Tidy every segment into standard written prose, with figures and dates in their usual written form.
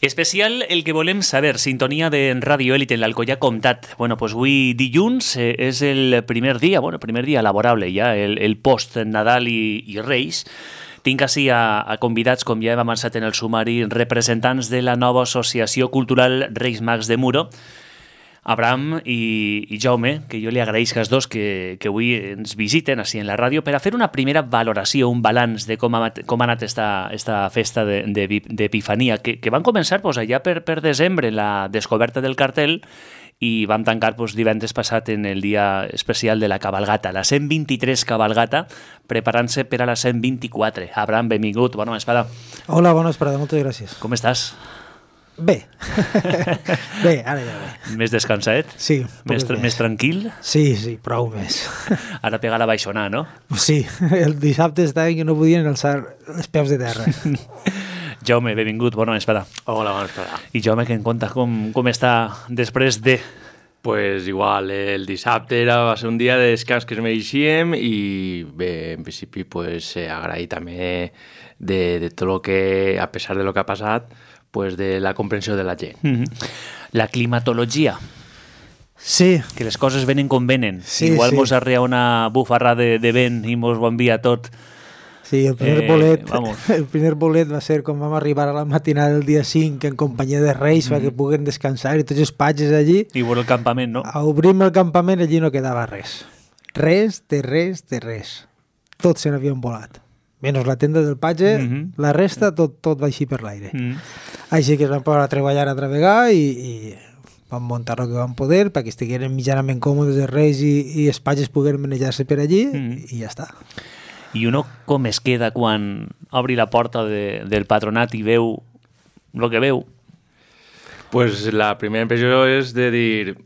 Especial el que volem saber, sintonia de Ràdio Élite en l'Alcoià Comtat. Bueno, pues avui dilluns és el primer dia laborable ja, el post-Nadal i Reis. Tinc així a convidats, com ja hem avançat en el sumari, representants de la nova Associació Cultural Reis Mags de Muro, Abraham i Jaume, que jo li agraeixo als dos que avui ens visiten així en la ràdio per a fer una primera valoració, un balanç de com ha anat esta festa d'Epifania, que van començar allà per desembre, la descoberta del cartel, i vam tancar divendres passat en el dia especial de la cabalgata, la 123 cabalgata, preparant-se per a la 124. Abraham, benvingut, bona vesprada. Hola, bona vesprada, moltes gràcies. Com estàs? Bé. Bé, ara ja bé. Més descansadet? Sí. Més tranquil? Sí, prou més. Ara pega la baixonà, no? Sí, el dissabte estava que no podien alçar els peus de terra. Jaume, benvingut, bona vesprada. Hola, bona vesprada. I Jaume, que em conta com està després de... Pues igual, el dissabte va ser un dia de descans que es mereixíem i bé, en principi pues, agrair també de tot el que, a pesar de lo que ha passat, pues de la comprensió de la gent. La climatologia. Sí. Que les coses venen com venen. Sí, igual sí. mos arrea una bufarra de vent i mos ho envia tot. Sí, el primer bolet va ser quan vam arribar a la matinada del dia 5 en companyia de Reis perquè puguen descansar i tots els patges allí. I veure el campament, no? Obrim el campament, allí no quedava res. Res. Tots se n'havien volat. Menys la tenda del patge, la resta tot va així per l'aire. Així que es van posar a treballar altra vegada i van muntar el que van poder perquè estigueren mitjanament còmodes els Reis i els patges pogueren manejar-se per allí i ja està. I uno com es queda quan obri la porta del patronat i veu el que veu? Pues la primera impressió és de dir...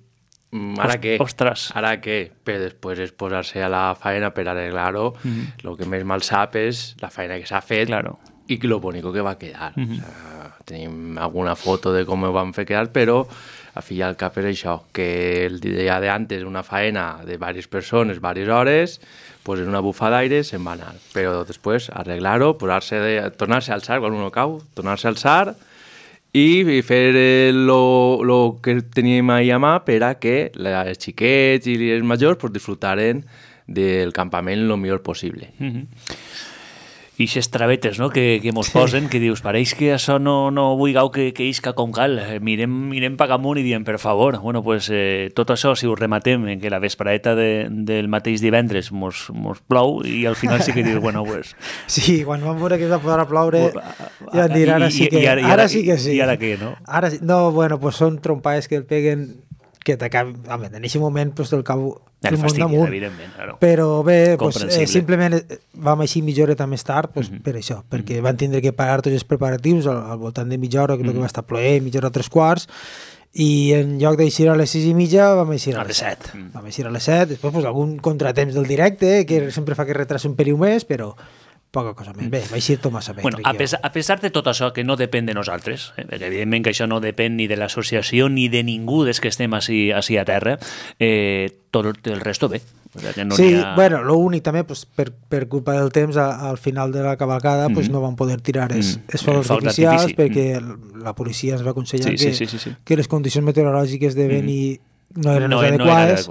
¿Ara què? Ostres. ¿Ara què? Però després és posar-se a la faena per arreglar-ho. El que més mal sap és la feina que s'ha fet i lo bonico que va quedar. O sea, tenim alguna foto de com ho vam fer quedar, però a fi i al cap és això, que el dia d'antes una faena de diverses persones, diverses hores, pues en una bufa d'aire se'n va anar. Però després arreglar-ho, tornar-se a alçar quan uno cau, tornar-se a alçar i fer lo que teníem ahir a mà per a que els xiquets i els majors pues, disfrutaren del campament el millor possible. I aquestes travetes, no?, que mos posen, que dius, pareix que això no vulgueu que isca com cal. Mirem pa amunt i diem, per favor. Bueno, pues, tot això, si ho rematem en que la vespraeta del mateix divendres mos plou i al final sí que dius, bueno, pues... Sí, quan vam veure que es va posar a ploure, ja van dir, ara sí que sí. I ara què, no? Ara sí. No, bueno, pues són trompades que el peguen que t'acaben... Home, en aquest moment, pues, el cabo... El fastidi, evidentment, claro. Però bé, pues, simplement vam així mitja horeta més tard per això, perquè van tindre que parar tots els preparatius al voltant de mitja hora, que va estar ploent, mitja hora, 3/4, i en lloc d'eixir a les 6:30 vam eixir a les 7. Vam eixir a les 7, després pues, algun contratemps del directe, que sempre fa que retrasa un peliu més, però poca cosa més. Bé, va eixir tot massa bé. Bueno, a pesar de tot això, que no depèn de nosaltres, perquè evidentment que això no depèn ni de l'associació ni de ningú des que estem així a terra, tot el resto bé. O sea, que no sí, bueno, l'únic també, pues, per culpa del temps, al final de la cavalcada pues, no van poder tirar els focs artificials perquè la policia ens va aconsellar que les condicions meteorològiques de vent no eren adequades.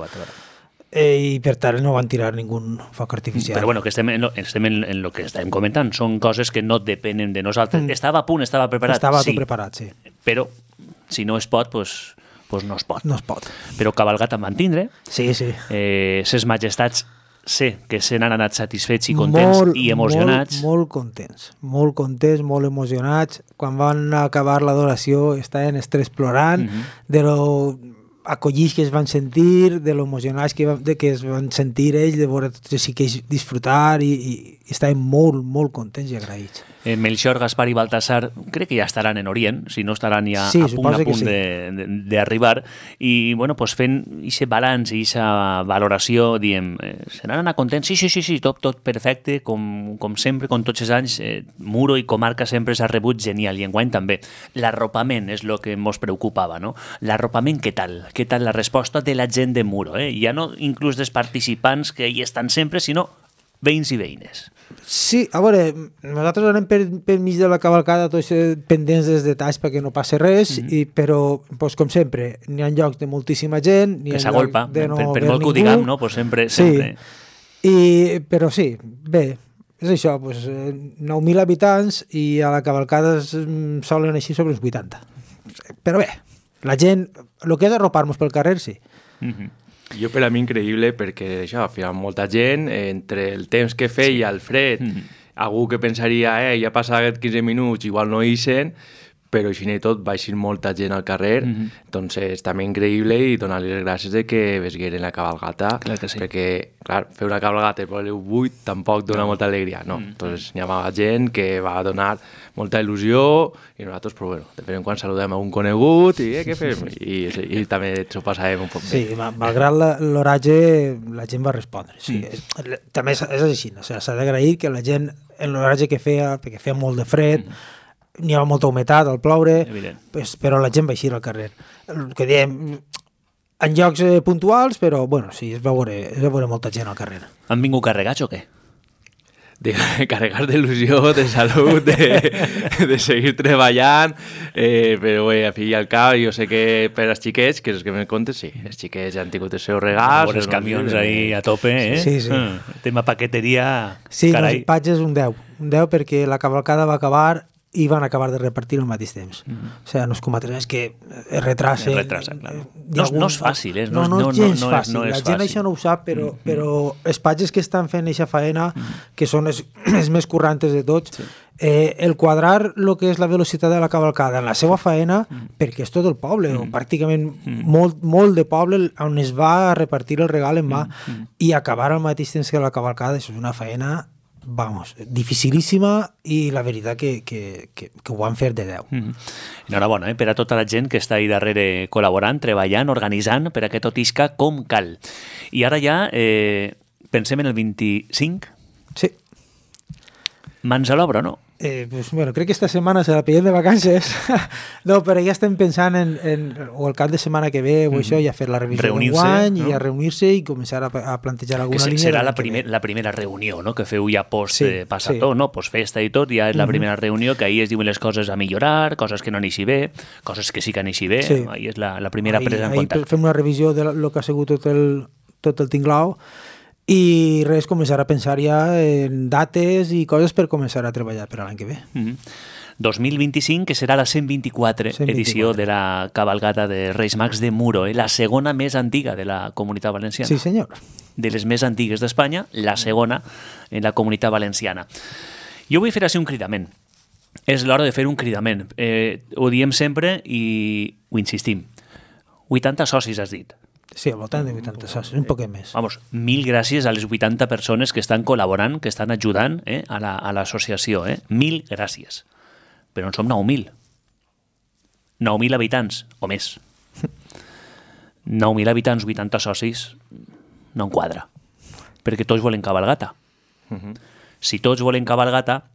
I per tant no van tirar ningú foc artificial. Però bueno, que estem en el que estàvem comentant, són coses que no depenen de nosaltres. Estava a punt, estava preparat. Estava tot preparat, sí. Però si no es pot, pues no es pot. No es pot. Però cabalgat en van tindre. Sí. Ses majestats sé que se n'han anat satisfets i contents i emocionats. Molt contents, molt emocionats. Quan van acabar l'adoració estaven els tres plorant de lo acollits que es van sentir, de lo emocionats que es van sentir ells, de veure tots els xiquets disfrutar i estaven molt contents i agraïts. Melchor, Gaspar i Baltasar crec que ja estaran en Orient, si no estaran ja a punt d'arribar, i bueno, pues fent aquest balanç i aquesta valoració, diem, se n'han anat contents? Sí, tot perfecte, com sempre, com tots els anys, Muro i comarca sempre s'ha rebut genial, i enguany també. L'arropament és el que ens preocupava, no? L'arropament, què tal? Què tal la resposta de la gent de Muro? Ja no inclús dels participants que hi estan sempre, sinó veïns i veïnes. Sí, a veure, nosaltres anem per mig de la cavalcada tots pendents dels detalls perquè no passi res, però, pues, com sempre, n'hi ha llocs de moltíssima gent, que s'agolpa, per molt que ho diguem, no? Pues sempre. Però sí, bé, és això, pues, 9.000 habitants i a la cavalcada solen així sobre uns 80. Però bé, la gent, el que és arropar-nos pel carrer, sí. Jo per a mi increïble perquè això, al final molta gent, entre el temps que feia el fred, algú que pensaria ja ha passat 15 minuts, igual no hi sent, però així i tot va eixir molta gent al carrer, entonces també increïble i donar-li les gràcies de que vesgueren la cabalgata, perquè, clar, fer una cabalgata per les 8 tampoc dona molta alegria, no, entonces hi havia gent que va donar molta il·lusió i nosaltres, però bueno, de tant en quan saludem a un conegut i què fem? I també s'ho passàvem un poc bé. Sí, malgrat l'oratge, la gent va respondre, sí. També és així, s'ha d'agrair que la gent, en l'oratge que feia, perquè feia molt de fred, n'hi havia molta humitat al ploure, però la gent va eixir al carrer. El que diem, en llocs puntuals, però bueno, sí, es va veure molta gent al carrer. Han vingut carregats o què? Carregar d'il·lusió, de salut, de seguir treballant, però bé, a fi i al cap, jo sé que per als xiquets, que és el que me contes, sí, els xiquets ja han tingut els seus regals. Els camions ahí a tope, eh? Sí. Tema paqueteria, sí, carai. Sí, patges un 10 perquè la cavalcada va acabar i van acabar de repartir al mateix temps. O sigui, no és com altres, és que es retracen. Claro. No és fàcil, eh? No és gens fàcil. La gent això no ho sap, però els patges que estan fent aquesta faena, que són els més currantes de tots, el quadrar el que és la velocitat de la cavalcada en la seva faena, perquè és tot el poble, o pràcticament molt de poble on es va repartir el regal en mà, i acabar al mateix temps que la cavalcada, això és una faena dificilíssima i la veritat que ho van fer de 10. Enhorabona per a tota la gent que està ahí darrere col·laborant, treballant, organitzant per a que tot isca com cal. I ara ja pensem en el 25? Sí. Mans a l'obra, no? Pues, bueno, crec que esta setmana se la pillem de vacances. No, però ja estem pensant o el cap de setmana que ve o això, ja fer la revisió d'enguany i a reunir-se i començar a plantejar alguna línia. Serà la primera reunió, no?, que feu ja post-passató, no? Post-festa i tot, ja és la primera reunió que ahí es diuen les coses a millorar, coses que no n'hi bé, coses que sí que n'hi bé, ahí és la primera presa en compte. Ahí fem una revisió de lo que ha sigut tot el tinglao i res, començar a pensar ja en dates i coses per començar a treballar per l'any que ve. 2025, que serà la 124 edició de la cabalgata de Reis Mags de Muro, la segona més antiga de la Comunitat Valenciana. Sí, senyor. De les més antigues d'Espanya, la segona en la Comunitat Valenciana. Jo vull fer així un cridament. És l'hora de fer un cridament. Ho diem sempre i ho insistim. 80 socis, has dit. Sí, al voltant de 80 socis, un poquet més. Vamos, 1000 gràcies a les 80 persones que estan col·laborant, que estan ajudant a l'associació. 1000 gràcies. Però en som 9.000. 9.000 habitants, o més. 9.000 habitants, 80 socis, no en quadra. Perquè tots volen cabalgata. Si tots volen cabalgata,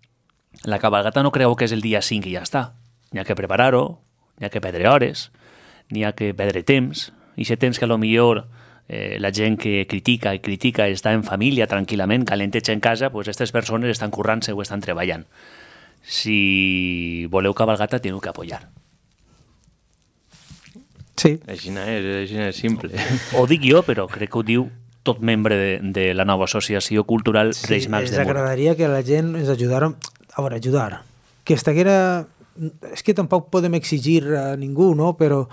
la cabalgata no creu que és el dia 5 i ja està. N'hi ha que preparar-ho, n'hi ha que perdre hores, n'hi ha que perdre temps, i aquest temps que potser la gent que critica està en família tranquil·lament, calenteja en casa, pues aquestes persones estan currant-se o estan treballant. Si voleu cabalgata, teniu que apoyar. Sí. Així és simple. Ho dic jo, però crec que ho diu tot membre de la nova associació cultural Reis Mags de Muro. Ens agradaria que la gent ens ajudara, ajudar. Que estaguera... És que tampoc podem exigir a ningú, no? Però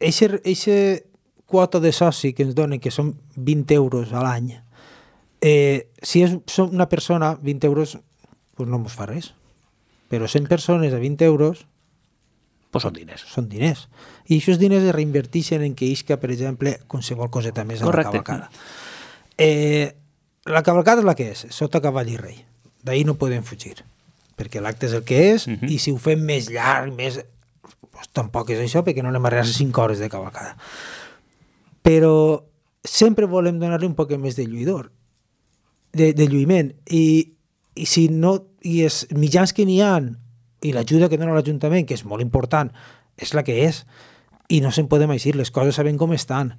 eixa quota de soci que ens donen, que són 20 euros a l'any, si és una persona, 20 euros, pues no ens fa res. Però 100 persones a 20 euros... Pues són diners. Són diners. I aquests diners es reinverteixen en que isca, per exemple, qualsevol coseta més a la cavalcada. La cavalcada és la que és, sota cavall i rei. D'ahir no podem fugir, perquè l'acte és el que és, i si ho fem més llarg, més... Pues tampoc és això, perquè no anem a arribar a 5 hores de cavalcada. Però sempre volem donar-li un poc més de lluïdor, de lluïment. I si no, i els mitjans que n'hi ha, i l'ajuda que dona l'Ajuntament, que és molt important, és la que és, i no se'n podem eixir, les coses sabem com estan.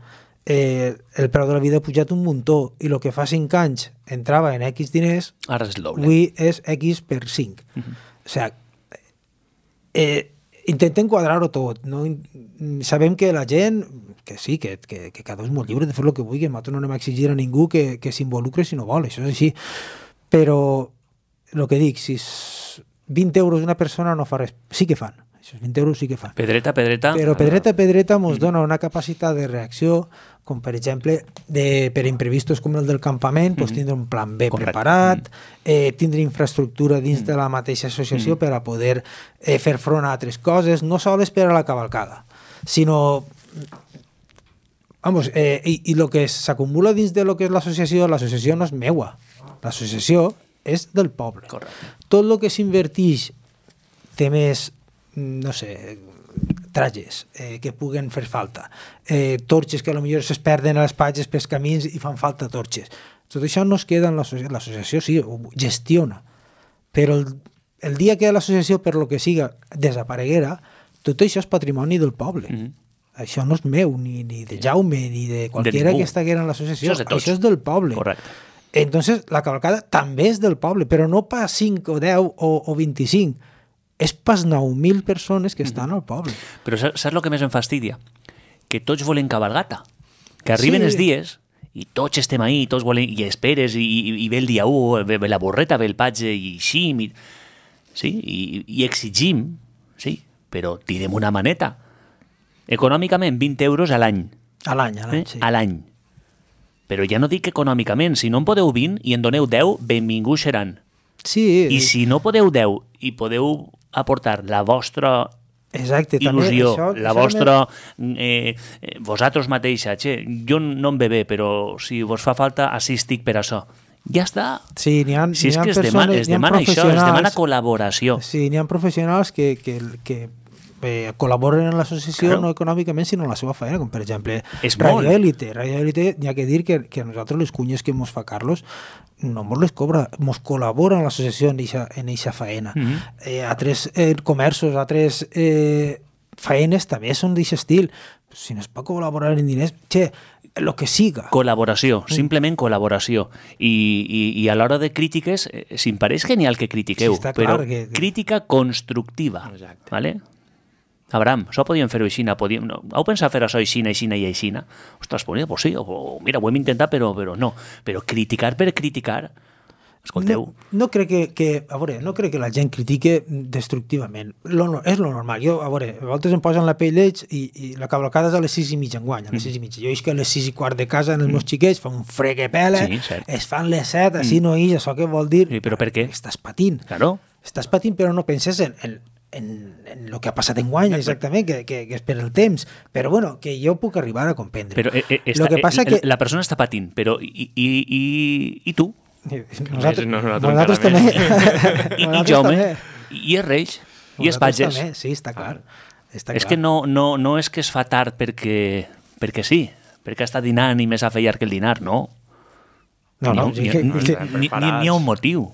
el preu de la vida ha pujat un muntó i el que fa 5 anys entrava en X diners, ara és el doble. Avui és X per 5. O sigui, intentem quadrar-ho tot. No? Sabem que la gent, que sí, que cada un és molt lliure de fer el que vulgui, nosaltres no anem a exigir a ningú que s'involucre si no vol, això és així. Però el que dic, si 20 euros una persona no fa res, sí que fan. Això 20 euros sí que fan. Pedreta. Però pedreta ens dona una capacitat de reacció, com per exemple, per imprevistos com el del campament, doncs tindre un plan B preparat, tindre infraestructura dins de la mateixa associació per a poder fer front a altres coses, no sols per a la cavalcada, sinó... Vamos, i el que s'acumula dins de lo que és l'associació no és meua. L'associació és del poble. Correcte. Tot el que s'invertix té més, no sé, trajes que puguen fer falta, torxes que potser es perden a les patges pels camins i fan falta torxes. Tot això no es queda en l'associació. L'associació sí, ho gestiona, però el dia que l'associació, per lo que siga, desapareguera, tot això és patrimoni del poble. Això no és meu, ni de Jaume, ni de qualsevol que estiguera en l'associació. Això és del poble. Correcte. Entonces, la cavalcada també és del poble, però no pas 5 o 10 o 25. És pas 9.000 persones que estan al poble. Però saps el que més em fastidia? Que tots volen cabalgata. Que arriben els dies i tots estem ahí, tots volen, i esperes, i ve el dia 1, ve la borreta, ve el patge, i xim, i exigim, sí, però tirem una maneta. Econòmicament, 20 euros a l'any. A l'any, sí. A l'any. Però ja no dic econòmicament, si no en podeu 20 i en doneu 10, benvinguts seran. Sí. I si no podeu 10 i podeu aportar la vostra il·lusió, la vostra... vosaltres mateixa, jo no em ve bé, però si vos fa falta, així estic per això. Ja està. Sí, n'hi ha si és que persones, es demana això, es demana col·laboració. Sí, n'hi ha professionals que col·laboren en l'associació no econòmicament, sinó en la seva feina, com per exemple Radio Élite. Radio Élite, n'hi ha que dir que a nosaltres les cunyes que mos fa Carlos no mos les cobra, mos col·labora en l'associació en eixa feina. Altres comerços, altres feines també són d'aquest estil. Si no es pot col·laborar en diners, el que siga. Col·laboració, simplement col·laboració. I a l'hora de crítiques, si em pareix genial que critiqueu, però crítica constructiva. Exacte. ¿Vale? Abraham, això podíem fer-ho aixina, heu pensat fer això aixina i aixina? Ostres, pues sí, mira, ho hem intentat, però no. Però criticar per criticar, escolteu... No crec a veure, no crec que la gent critique destructivament. És lo normal. Jo, a veure, a vegades em posen la pell d'ells i la cavalcada és a les 6:30 enguany, a les 6:30. Jo és que a les 6:15 de casa en els meus xiquets fa un fred que pela, es fan les 7, així no ix, això què vol dir? Sí, però per què? Estàs patint. Claro. Estàs patint, però no penses en el que ha passat enguany, exactament, que és per el temps. Però bueno, que jo puc arribar a comprendre. Però la persona està patint, però i tu? Nosaltres també. I Jaume, i els Reis, i els patges. Sí, està clar. És que no és que es fa tard perquè sí, perquè està dinant i més a fer llarg que el dinar, no. N'hi ha un motiu,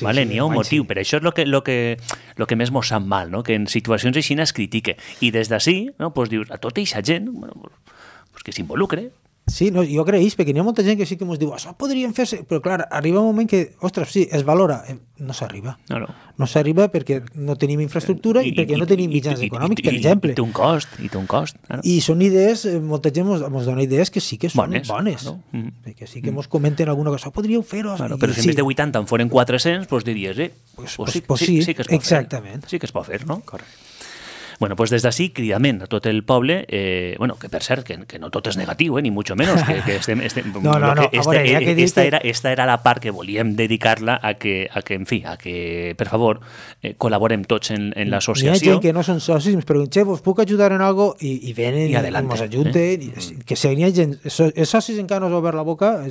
vale? N'hi ha un motiu, però això és el que més mos sap mal, no? Que en situacions així es critique, i des d'ací dius a tota aquesta gent que s'involucre. Sí, no, jo creix, perquè n'hi ha molta gent que sí que ens diu això podrien fer-se, però clar, arriba un moment que, ostres, sí, es valora, no s'arriba. No s'arriba perquè no tenim infraestructura i perquè no tenim mitjans econòmics, per exemple. I té un cost. I són idees, molta gent ens dona idees que sí que són bones. Que sí que ens comenten alguna cosa, podríeu fer-ho. Però si en vez de 80 en foren 400, doncs diries, sí que es pot fer. Exactament. Sí que es pot fer, no? Correcte. Bueno, pues des d'ací, cridament a tot el poble, que per cert, que no tot és negatiu, ni mucho menos, que estem... No, a veure, ja que dius esta era la part que volíem dedicar-la a que, per favor, col·laborem tots en l'associació. Hi ha gent que no són socis, ens preguntem, vos puc ajudar en algo? I venen i ens ajunten. Que si hi ha gent... Els socis encara no s'ha obert la boca,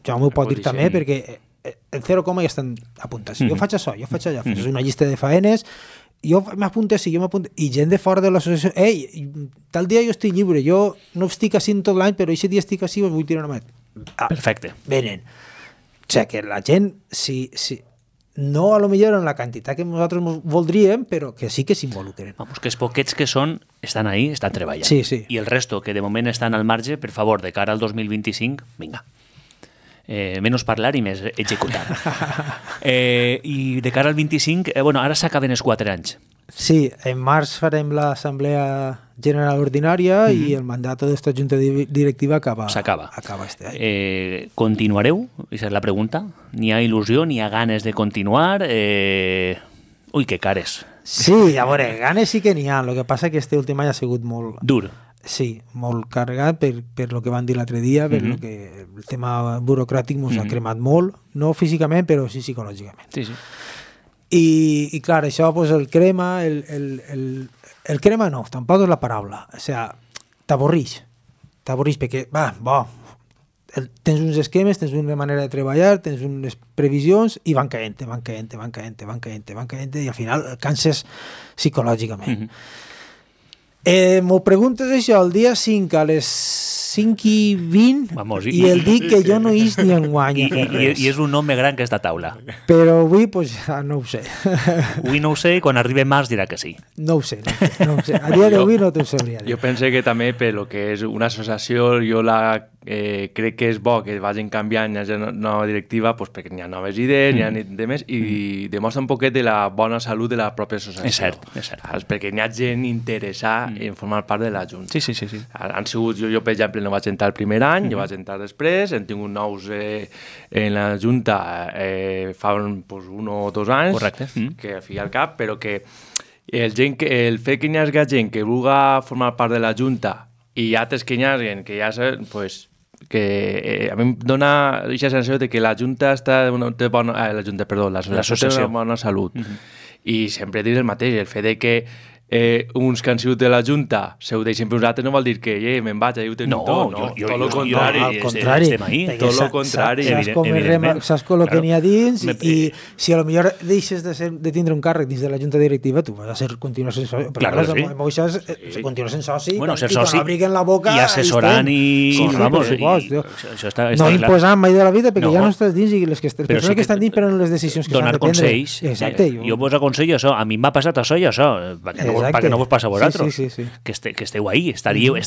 ja m'ho pot dir també, perquè el 0, ja estan apuntats. Jo faig això, jo faig allò. Fes una llista de faenes, jo m'apunto, i gent de fora de l'associació, tal dia jo estic lliure, jo no estic així tot l'any, però aquest dia estic així, us vull tirar una mà. Perfecte. Venen. O sigui, que la gent, si no a lo millor en la quantitat que nosaltres voldríem, però que sí que s'involucren. Vamos, que els poquets que són, estan ahí, estan treballant. Sí, sí. I el resto, que de moment estan al marge, per favor, de cara al 2025, vinga. Menos parlar i més executar. I de cara al 25, ara s'acaben els 4 anys. Sí, en març farem l'Assemblea General Ordinària i el mandat d'esta Junta Directiva s'acaba este any. Continuareu? Aquesta és la pregunta. N'hi ha il·lusió, n'hi ha ganes de continuar? Ui, que cares. Sí, a veure, ganes sí que n'hi ha. El que passa que este últim any ha sigut molt... Dur. Sí, molt carregat per lo que van dir l'altre dia, per lo que el tema burocràtic ens ha cremat molt, no físicament, però sí psicològicament. Sí, sí. I clar, això pues, el crema, el crema no, tampoc és la paraula. O sigui, t'avorrix perquè, tens uns esquemes, tens una manera de treballar, tens unes previsions i van caient, i al final canses psicològicament. M'ho preguntes això el dia 5 a les 5:20 i el dic que jo no ix ni enguany a fer res. I és un home gran que està a taula. Però avui pues, no ho sé. Avui no ho sé i quan arribi març dirà que sí. No ho sé. A dia d'avui no t'ho sabria dir. Jo pense que també per lo que és una associació jo crec que és bo que vagin canviant la nova directiva pues, perquè n'hi ha noves idees, n'hi ha demés i demostra un poquet de la bona salut de la pròpia associació. És cert. Perquè n'hi ha gent interessada en formar part de la Junta. Sí. Han sigut, jo per exemple no vaig entrar el primer any, jo vaig entrar després, hem tingut nous en la Junta fa pues, 1 o 2 anys. Correcte. Que fi al cap, però que el fet que hi hagi gent que vulgui formar part de la Junta i altres que hi hagi que ja pues, que a mi em dona aquesta sensació de que la Junta té l'associació té bona salut. I sempre dic el mateix, el fet de que uns que han sigut de la Junta se ho deixen per uns altres no vol dir que me'n vaig, ho tenim tot, no? Tot el contrari. Al contrari. Tot el contrari. Saps com el que n'hi ha dins i si a lo millor deixes de tindre un càrrec dins de la Junta Directiva, tu vas a continuar sent soci. Claro, sí. Continuar sent soci ser soci i obliguen la boca i assessorant i... Vamos, això està no imposant mai de la vida perquè ja no estàs dins i les persones que estan dins prenen les decisions que s'han de prendre. Donar consells. Exacte. Jo vos aconsello això. A mi m'ha passat això i això. Perquè no vos passa a vosaltres. Sí. Que esteu ahí, estaríeu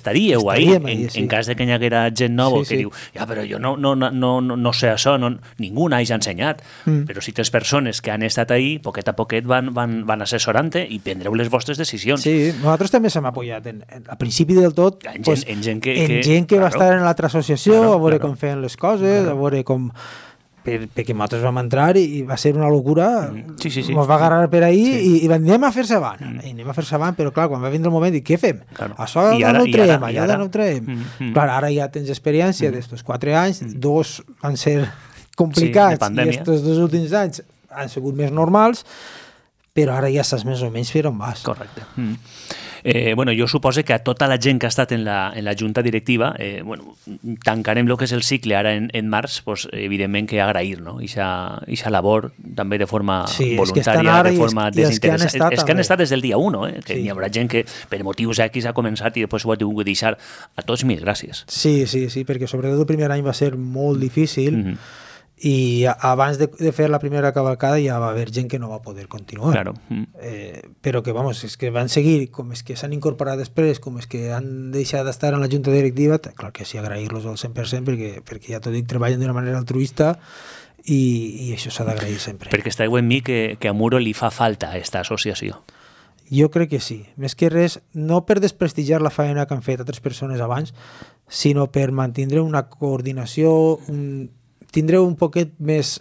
ahí. En cas de que hi haguera gent nova que diu, però jo no sé això, ningú n'hagi ensenyat. Però si tens persones que han estat ahí, poquet a poquet van assessorant-te i prendreu les vostres decisions. Sí, nosaltres també s'hem apoyat al principi del tot en gent que va estar en l'altra associació, a veure com feien les coses, a veure com... perquè nosaltres vam entrar i va ser una locura, ens va agarrar per ahí i anem a fer-se avant, però clar, quan va vindre el moment dic, què fem? Això no ho traiem, allò no ho traiem. Clar, ara ja tens experiència d'estos 4 anys, 2 van ser complicats i estos 2 últims anys han sigut més normals, però ara ja saps més o menys per on vas. Correcte. Jo suposo que a tota la gent que ha estat en la junta directiva, tancarem el que és el cicle ara en març, evidentment que agrair, no? Ixa labor també de forma voluntària, de forma desinteressada. És que han estat des del dia 1, que hi haurà gent que per motius X ha començat i després ho ha tingut que deixar. A tots mil gràcies. Sí, perquè sobretot el primer any va ser molt difícil i abans de fer la primera cavalcada ja va haver gent que no va poder continuar. Claro. Però que, és que van seguir, com és que s'han incorporat després, com és que han deixat d'estar en la junta directiva, clar que sí, agrair-los al 100% perquè ja t'ho dic, treballen d'una manera altruista i això s'ha d'agrair sempre. Perquè esteu en mi que a Muro li fa falta aquesta associació. Jo crec que sí. Més que res, no per desprestigiar la feina que han fet altres persones abans, sinó per mantindre una coordinació, tindreu un poquet més,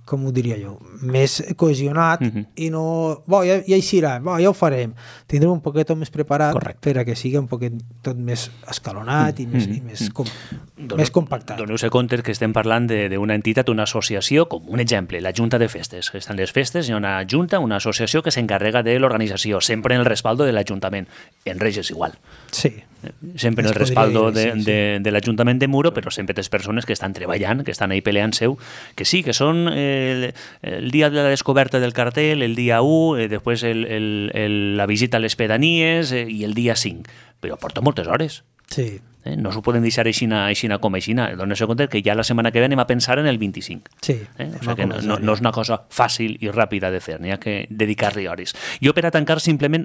com ho diria jo, més cohesionat i no, ja eixirà, ja ho farem. Tindreu un poquet més preparat per a que sigui un poquet tot més escalonat i més compactat. Doneu-se compte que estem parlant d'una entitat, una associació, com un exemple, la Junta de Festes. Estan les festes, hi ha una junta, una associació que s'encarrega de l'organització, sempre en el respaldo de l'Ajuntament. En Reis és igual. Sí. Sempre en el respaldo de l'Ajuntament de Muro, però sempre les persones que estan treballant, que estan ahí peleant-se, que sí, que són el dia de la descoberta del cartel, el dia 1, després la visita a les pedanies i el dia 5, però porta moltes hores. Sí. No s'ho poden deixar aixina com aixina. Dóna-se compte que ja la setmana que ve anem a pensar en el 25. Sí. O sigui que no és una cosa fàcil i ràpida de fer, n'hi ha que dedicar-li hores. Jo, per a tancar, simplement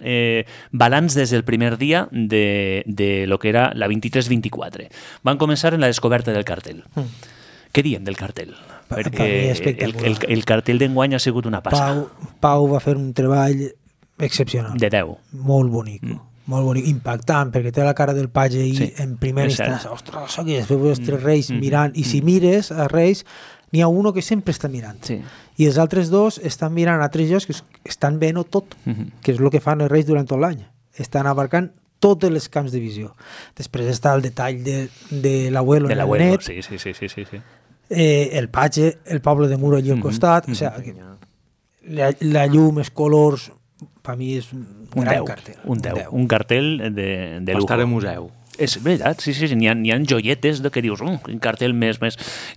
balanç des del primer dia de lo que era la 23-24. Van començar en la descoberta del cartell. Què diem del cartell? Perquè el cartell d'enguany ha sigut una passada. Pau va fer un treball excepcional. De 10. Molt bonic. Molt bonic, impactant, perquè té la cara del Patge i en primera instància, ostres, això que és, veus els tres reis mirant, i si mires a Reis, n'hi ha uno que sempre està mirant, i els altres dos estan mirant a altres llocs que estan veient tot, que és el que fan els reis durant tot l'any, estan abarcant tots els camps de visió. Després està el detall de l'abuelo en el net, el Patge, el poble de Muro allà al costat, o sigui, la llum, els colors, per mi és un gran cartell. Un cartell de lujo. Va estar en museu. És veritat, sí, n'hi ha joietes que dius, un cartell més.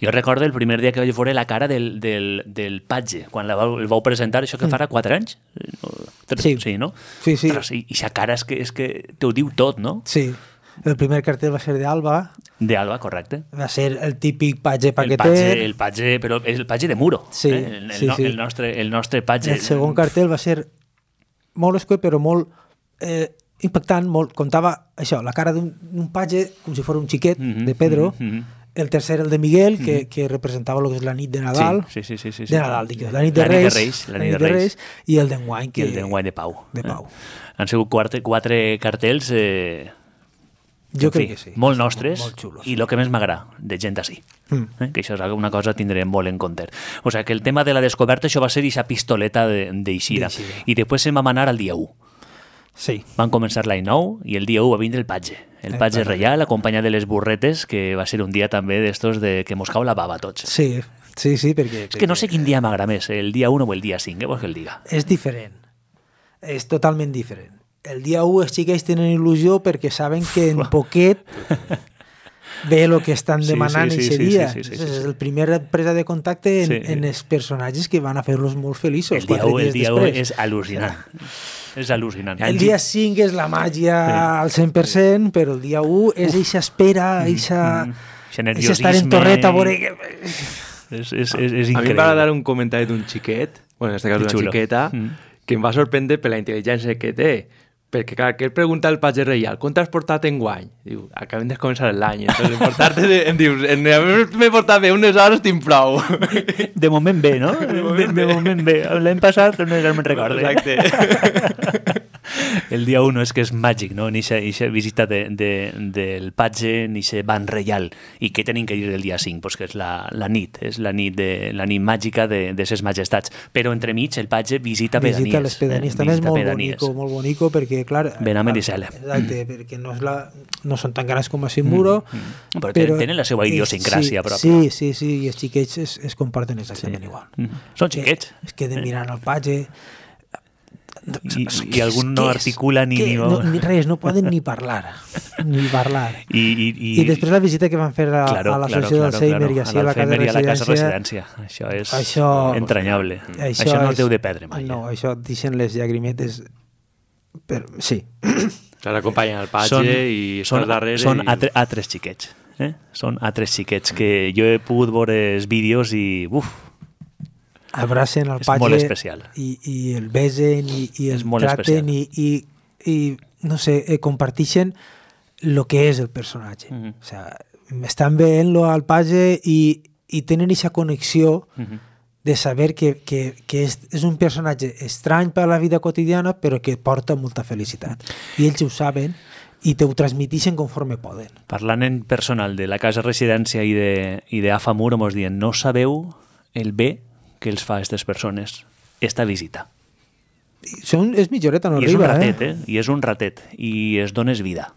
Jo recordo el primer dia que vaig veure la cara del Patge, quan el vau presentar, això que farà 4 anys? Sí, no? Sí. I aquesta cara és que t'ho diu tot, no? Sí. El primer cartell va ser d'Alba. D'Alba, correcte. Va ser el típic Patge paqueter. El Patge, però el Patge de Muro. Sí, el nostre Patge. El segon cartell va ser molt escuet, però molt impactant, contava això, la cara d'un Patge com si fos un xiquet de Pedro, el tercer el de Miguel, que representava el que és la nit de Nadal, de Nadal, dic, la nit de Reis, i el d'enguany, i el d'enguany de Pau. Han sigut 4 cartells jo crec que sí. Molt nostres, molt xulos. I el que més m'agrada, de gent així. Que això és una cosa que tindrem molt en compte. O sigui, que el tema de la descoberta, això va ser aquesta pistoleta d'Eixida. I després se'n vam anar al dia 1. Sí. Van començar l'any 9 i el dia 1 va vindre el Patge. El Patge reial, acompanyat de les burretes, que va ser un dia també d'estos que mos cau la bava a tots. Sí, perquè... És que no sé quin dia m'agrada més, el dia 1 o el dia 5, vols que el diga? És diferent. És totalment diferent. El dia 1 els xiquets tenen il·lusió perquè saben que en poquet ve el que estan demanant aquest dia. És el primer presa de contacte en els personatges que van a fer-los molt feliços. El dia 1 és al·lucinant. És al·lucinant. El dia 5 és la màgia al 100%, però el dia 1 és eixa espera, eixa estar en torreta a veure... És increïble. A mi em va dar un comentari d'un xiquet, bueno, en aquest cas una xiqueta, que em va sorprendre per la intel·ligència que té. Perquè, clar, que ell pregunta al Patge reial, com t'has portat enguany? Diu, acabem de començar l'any, em dius, m'he portat bé, unes hores tinc prou. De moment bé, no? De moment bé. L'any passat no me'n recordo. Exacte. El dia 1 és que és màgic, no? Ni aquesta visita del Patge, ni aquest ban reial. I què tenim que dir del dia 5? Pues que és la nit, és la nit màgica de ses majestats. Però entremig el Patge visita pedanies. Visita les pedanies. També és molt bonico, perquè, clar... Benamen i Sele. Exacte, perquè no són tan grans com a Muro. Però tenen la seva idiosincràsia pròpia. Sí, i els xiquets es comporten exactament igual. Són xiquets. Es queden mirant el Patge... I algun no articula ni res, no poden ni parlar. I després la visita que van fer a l'associació d'Alzheimer i així a la casa residència. Això és entranyable. Això no es deu de perdre mai. No, això deixen les llagrimetes. Sí. L'acompanyen al Patge i són darrere. Són altres xiquets. Són altres xiquets que jo he pogut veure els vídeos i... abracen el Patge i el besen i el traten i no sé, comparteixen el que és el personatge. O sigui, estan veient-lo al Patge i tenen aquesta connexió de saber que és un personatge estrany per a la vida quotidiana però que porta molta felicitat. I ells ho saben i te ho transmiteixen conforme poden. Parlant en personal de la casa residència i d'Afa Muro, mos diuen, no sabeu el bé que els fa a aquestes persones esta visita. És mitjoreta, no arriba. I és un ratet, I és un ratet. I es dones vida.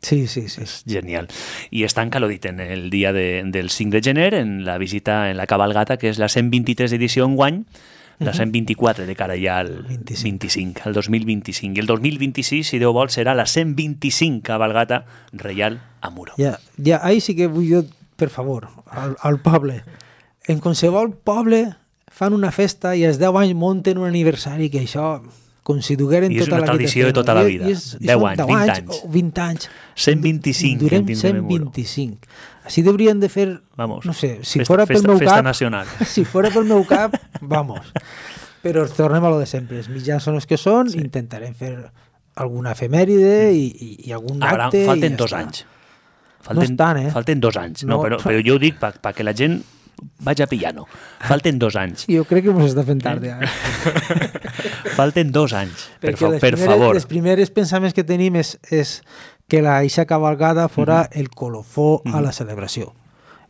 Sí. És genial. I és tan calodit en el dia del 5 de gener, en la visita, en la cabalgata, que és la 123 edició enguany, la 124 de cara ja al 25, al 2025. I el 2026, si Déu vol, serà la 125 cabalgata reial a Muro. Ja, ahí sí que vull jo, per favor, al poble. En qualsevol poble fan una festa i als 10 anys munten un aniversari que això com si dugueren tota la vida. I és una tradició de tota la vida. 10 anys, 20 anys. 125. Durem 125. Així deurien de fer, no sé, si fora pel meu cap... Si fora pel meu cap, vamos. Però tornem a lo de sempre. Els mitjans són els que són, intentarem fer alguna efemèride i algun acte... Falten 2 anys. No és tant, Falten 2 anys. No, però jo ho dic perquè la gent vagi pillano. Falten 2 anys. Jo crec que ens està fent tard, ja. Falten 2 anys, per favor. Els primers pensaments que tenim és que l'aixa cavalgada fora el colofó a la celebració.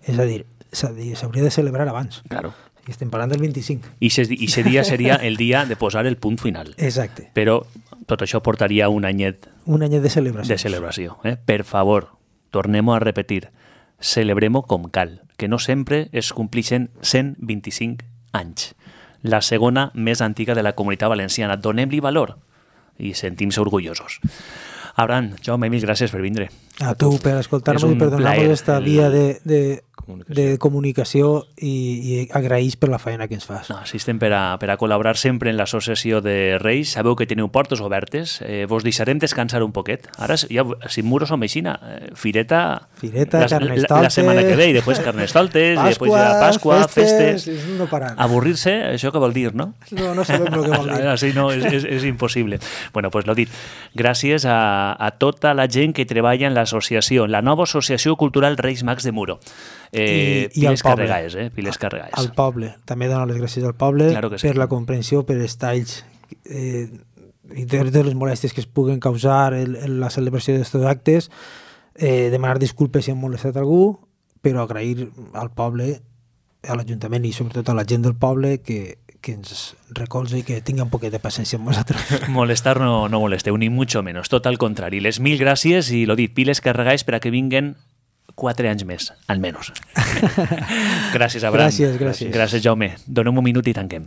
És a dir, s'hauria de celebrar abans. Claro. I estem parlant del 25. I aquest dia seria el dia de posar el punt final. Exacte. Però tot això portaria un anyet... Un anyet de celebració. De celebració. Per favor, tornem-ho a repetir. Celebrem-ho com cal, que no sempre es complixen 125 anys. La segona més antiga de la Comunitat Valenciana. Donem-li valor i sentim-se orgullosos. Abraham, Jaume, mil gràcies per vindre. A tu per escoltar-nos i per donar-nos aquesta via de comunicació i agraïs per la feina que ens fas. No, sí, estem per a col·laborar sempre en l'associació de Reis. Sabeu que teniu portes obertes. Vos deixarem descansar un poquet. Ara, ja, sin muros o meixina, fireta Carnestoltes, la setmana que ve, i després Carnestoltes, i després ja Pasqua, festes... No parar. Avorrir-se, això què vol dir, no? No sabem el que vol dir. Així no, és impossible. Bueno, pues lo dit. Gràcies a tota la gent que treballa en l'associació, la nova Associació Cultural Reis Mags de Muro. Piles Carregaes, Piles Carregaes. Al poble, també dono les gràcies al poble, claro per la comprensió, per els talls i de les molèsties que es puguen causar en la celebració d'aquests actes, demanar disculpes si hem molestat algú, però agrair al poble, a l'Ajuntament i sobretot a la gent del poble que ens recolza i que tingui un poquet de paciència amb nosaltres. Molestar no molesteu, ni mucho menos, tot al contrari. Les mil gràcies i, lo dit, Piles Carregaes per a que vinguen 4 anys més, almenys. Gràcies, Abraham. Gràcies. Gràcies, Jaume. Donem un minut i tanquem.